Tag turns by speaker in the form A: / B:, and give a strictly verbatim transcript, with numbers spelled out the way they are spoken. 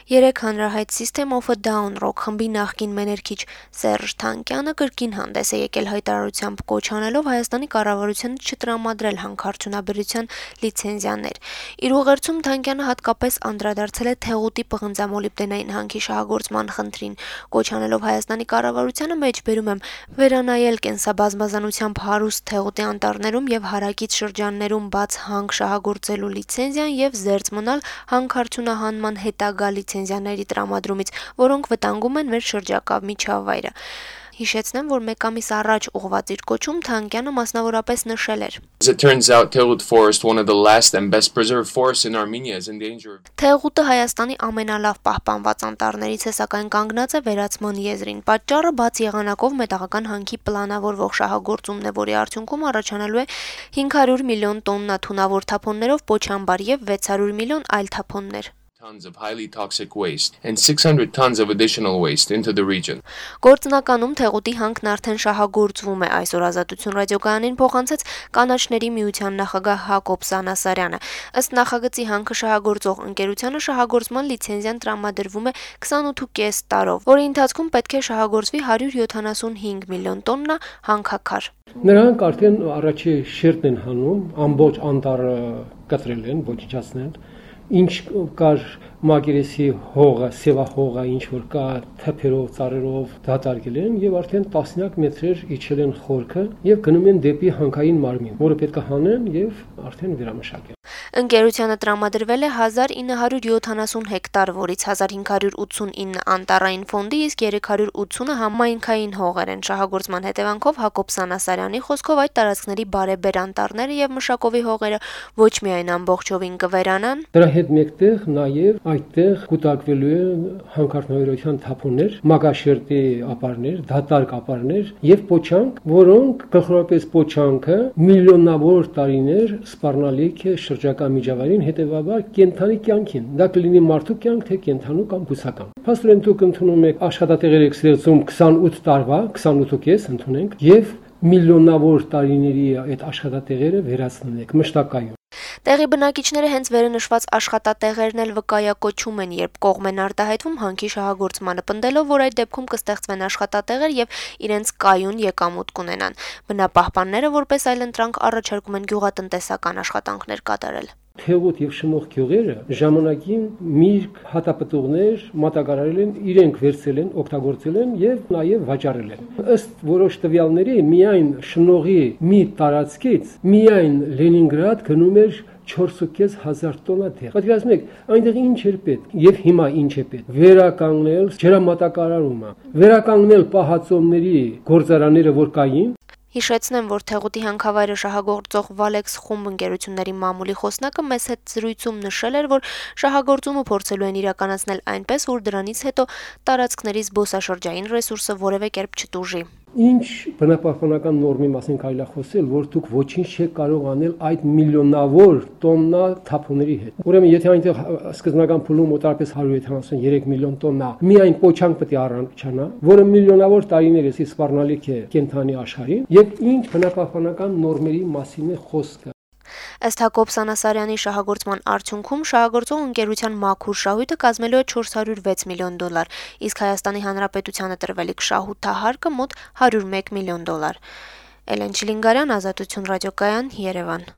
A: Երեկ հանրահայտ System of a Down ռոք խմբի նախկին մեներքիչ Սերժ Թանկյանը կրկին հանդես է եկել հայտարարությամբ կոչ անելով Հայաստանի կառավարությանը չտրամադրել հանքարդյունաբերության լիցենզիաներ։ Իր ուղերձում Թանկյանը հատկապես անդրադարձել է Թեղուտի պղնձամոլիբդենային հանքի շահագործման խնդրին, կոչ անելով Հայաստանի կառավարությանը մեջբերում եմ վերանայել կենսաբազմազանությամբ հարուստ Թեղուտի անտառներում եւ հարակից շրջաններում բաց հանք շահագործելու լիցենզիան եւ զերծ մնալ հանքարդյունահանման հետագա լիցենզիաների տրամադրումից, որոնք վտանգում են մեր շրջակա միջավայրը։ Հիշեցնեմ, որ մեկ ամիս առաջ ուղղված իր կոչում Թանկյանը մասնավորապես նշել էր. Թեղուտը Հայաստանի ամենալավ պահպանված անտառներից է, սակայն կանգնած է վերացման եզրին։ Պատճառը բաց եղանակով մետաղական հանքի պլանավորվող շահագործումն է, որի արդյունքում առաջանալու է հինգ հարյուր միլիոն տոննա թունավոր թափոններով պոչամբար եւ վեց հարյուր միլիոն այլ թափոններ։
B: Tons of highly toxic waste and six hundred tons of additional waste into the region.
A: Գործնականում Թեղուտի հանքն արդեն շահագործվում է, այսօր Ազատություն ռադիոկայանին փոխանցեց Կանաչների միության նախագահ Հակոբ Սանասարյանը։ Ըստ նախագծի հանքը շահագործող ընկերությանը շահագործման լիցենզիան տրամադրվում է քսանութ տարով, որի ընթացքում պետք է շահագործվի հարյուր յոթանասունհինգ միլիոն տոննա հանքաքար։
C: Նրանք արդեն առաջի շերտն են հանում, ամբողջ անտառը կտրել են, ոչնչացնել։ Ինչ կար մակերեսի հողը, սևահողը, ինչ որ կա թփերով, ծառերով դատարկել են եւ արդեն տասնյակ մետրեր իջել են խորքը եւ գնում են դեպի հանքային մարմին, որը պետք է հանեն եւ արդեն վերամշակեն։
A: Ընկերությանը տրամադրվել է հազար ինը հարյուր յոթանասուն հեկտար, որից հազար հինգ հարյուր ութսունինը անտառային ֆոնդի, իսկ երեք հարյուր ութսունը համայնքային հողեր են։ Շահագործման հետևանքով Հակոբ Սանասարյանի խոսքով այդ տարածքների բարեբեր անտառները եւ մշակովի հողերը ոչ միայն ամբողջովին կվերանան,
C: դրա հետ մեկտեղ նաեւ այդտեղ կուտակվելու են հանքարդյունաբերության թափոններ, մագաշերտի ապարներ, դատարկ ապարներ եւ պոչանք, որոնք գլխավորապես պոչանքը միլիոնավոր տարիներ սպառնալիք է շրջակա միջավայրին, հետեւաբար կենթանի կյանքին։ Դա կլինի մարդու կյանք, թե կենթանու կամ բուսական։ Փաստորեն դուք ընդունում եք աշխատատեղեր եք ստեղծում քսանութ տարվա, քսանութ կես ընդունենք եւ միլիոնավոր տարիների այդ աշխատատեղերը վերացնենք մշտակայուն։
A: Տեղի բնակիչները հենց վերը նշված աշխատատեղերն էլ վկայակոչում են, երբ կողմ են արտահայտվում հանքի շահագործմանը, պնդելով, որ այդ դեպքում կստեղծվեն աշխատատեղեր եւ իրենց կայուն եկամուտ կունենան։ Բնապահպանները որպես այլընտրանք առաջարկում են գյուղատնտեսական աշխատանքներ կատարել։
C: Թեղուտ եւ շնորհ գյուղերը ժամանակին միրգ հատապտուղներ մատակարարել են, իրենք վերցել են, օգտագործել են եւ նաեւ վաճառել են։ Ըստ որոշ տվյալների միայն շնորհի մի տարածքից միայն Լենինգրադ գնում էր չորս հազար տոննա թեղ։ Պատկերացնում եք, այնտեղ ինչ էր պետք եւ հիմա ինչ է պետք։ Վերականգնել ջրամատակարարումը, վերականգնել պահածոների գործարանները, որ կային։
A: Հիշեցնեմ, որ Թեղուտի հանքավայրը շահագործող Վալեքս խումբ ընկերությունների մամուլի խոսնակը մեծ հետ զրույցում նշել էր, որ շահագործումը փորձելու են իրականացնել այնպես, որ դրանից հետո տարածքների զբոսաշրջային ռեսուրսը որևէ կերպ չտուժի։
C: Ինչ բնապահպանական նորմի մասին կարելի է խոսել, որ դուք ոչինչ չեք կարող անել այդ միլիոնավոր տոննա թափոնների հետ։ Ուրեմն, եթե այնտեղ սկզբնական փուլում մոտավորապես հարյուր յոթանասունյոթ միլիոն տոննա միայն պոչանք պետք է առնչանա, որը միլիոնավոր տարիներս սպառնալիք է կենթանի աշխարհին, եւ ինչ բնապահպանական նորմերի մասին է խոսքը։
A: Ըստ Հակոբ Սանասարյանի շահագործման արդյունքում շահագործող ընկերության մաքուր շահույթը կազմելու է չորս հարյուր վեց միլիոն դոլար, իսկ Հայաստանի Հանրապետությանը տրվելիք շահութահարկը մոտ հարյուր մեկ միլիոն դոլար։ Էլեն Չիլինգարյան, Ազատություն ռադիոկայան, Երևան։